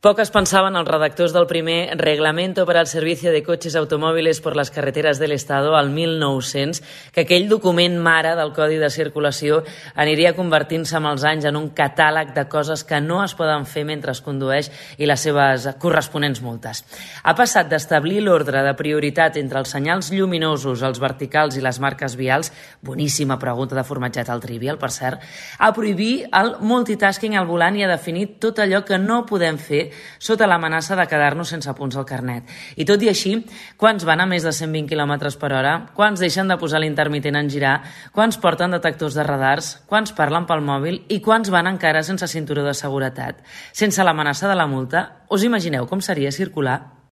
Poc es pensaven els redactors del primer Reglamento para el Servicio de Coches Automóviles por las Carreteras del Estado al 1900 que aquell document mare del Codi de Circulació aniria convertint-se amb els anys en un catàleg de coses que no es poden fer mentre es condueix i les seves corresponents multes. Ha passat d'establir l'ordre de prioritat entre els senyals lluminosos, els verticals i les marques vials, boníssima pregunta de formatget al Trivial, per cert, a prohibir el multitasking al volant i a definir tot allò que no podem fer sota l'amenaça de quedar-nos sense punts al carnet. I tot i així, quants van a més de 120 km per hora? Quants deixen de posar l'intermitent en girar? Quants porten detectors de radars? Quants parlen pel mòbil? I quants van encara sense cinturó de seguretat? Sense l'amenaça de la multa, us imagineu com seria circular